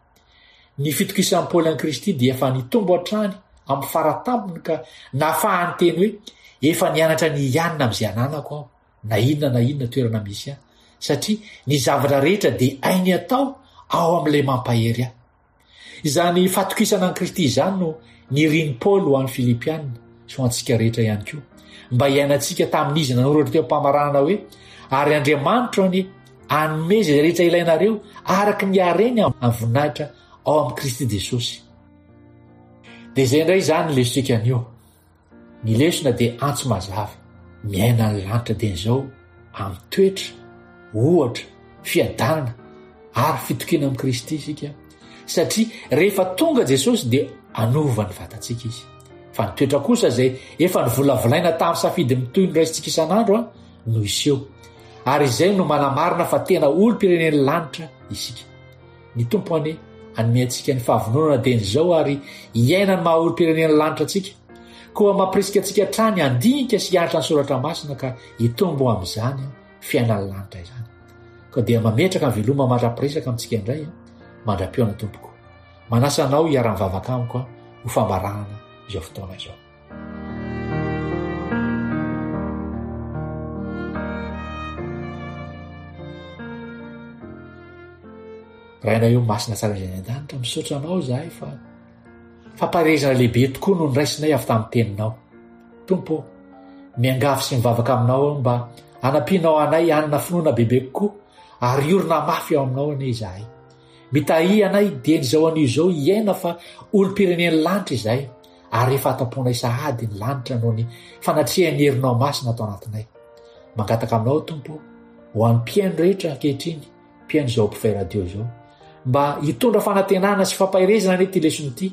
Ny fitokisan'i Paoly an'i Kristy dia efa nitombo hatrany amin'ny faratampony ka nahafahany niteny hoe, Efa nianatra ny hianina amin'izay ananako aho, na inona na inona toerana misy ahy, satria ny zavatra rehetra dia hainy atao ao amin'ilay mampahery ahy. Izany fatokisana an'i Kristy izany no nirin'i Paoly ho an'ny Filipiana sy ho antsika rehetra ihany koa, mba hiainantsika tamin'izy nanoratra teo am-pamaranana hoe, Ary Andriamanitro anie hanome izay rehetra ilainareo araka ny hareny amin'ny voninahitra ao amin'i Kristy Jesosy. Dia izay indray izany ny lesotsika anio. Ny lesona dia antso mazava, miaina ny lanitra dieny izao amin'ny toetra, ohatra, fiadanana ary fitokiana amin'i Kristy isika, satria rehefa tonga Jesosy dia hanova ny vatantsika Izy. Fa ny toetra kosa izay efa novolavolaina tamin'ny safidy mitohy noraisintsika isan'andro no hiseho. Ary izay no manamarina fa tena olom-pirenen'ny lanitra isika. Ny Tompo anie hanome antsika ny fahavononana dieny izao ary hiaina ny maha olom-pirenen'ny lanitra antsika. Koa mampirisika antsika hatrany handinika sy hianatra ny soratra masina ka hitombo amin'izany fiainan'ny lanitra izany. Koa dia mametraka ny veloma mandra-piresaka amintsika indray mandra-pihaona tompoko. Manasa anao hiara-mivavaka amiko ho famaranana izao fotoana izao. Rainay io masina tsara izay any an-danitra, misaotra anao izahay fa fampaherezana lehibe tokoa no niraisinay avy tamin'ny teninao. Tompo ô, miangavy sy mivavaka aminao aho mba hanampianao anay hanana finoana bebe kokoa ary hiorina mafy ao aminao anie izahay. Mitahia anay dieny izao anio izao hiaina fa olom-pirenen'ny lanitra izahay ary efa ato am-ponay sahady ny lanitra noho ny fanatrehan'ny herinao masina ato anatinay. Mangataka aminao Tompo ho an'ny mpihaino rehetra ankehitriny, mpihaino izao Mpifay Radio izao, mba hitondra fanantenana sy fampaherezana anie ity lesona ity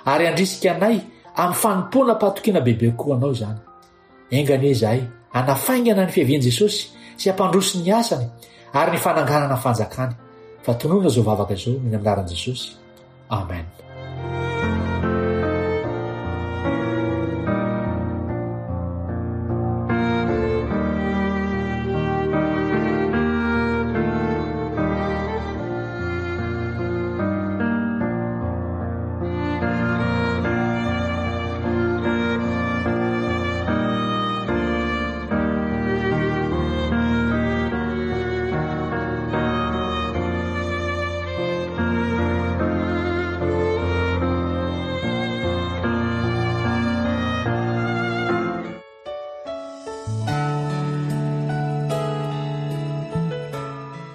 ary handrisika anay amin'ny fanompoana am-pahatokiana bebe kokoa anao izany. Enga anie izahay hanafaingana ny fiavian'i Jesosy sy hampandroso ny asany ary ny fananganana ny fanjakany. Fa tononina izao vavaka izao noho ny amin'ny anaran'i Jesosy. Amen.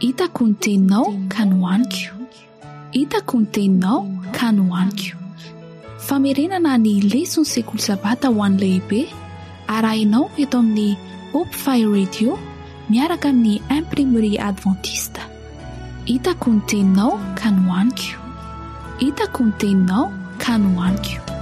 Hitako ny teninao ka nohaniko. Hitako ny teninao ka nohaniko. Famerenana ny leson'ny sekoly sabata ho an'ny lehibe arahinao eto amin'ny Hope Fire Radio miaraka amin'ny Imprimerie Adventiste. Hitako ny teninao ka nohaniko. Hitako ny teninao ka nohaniko.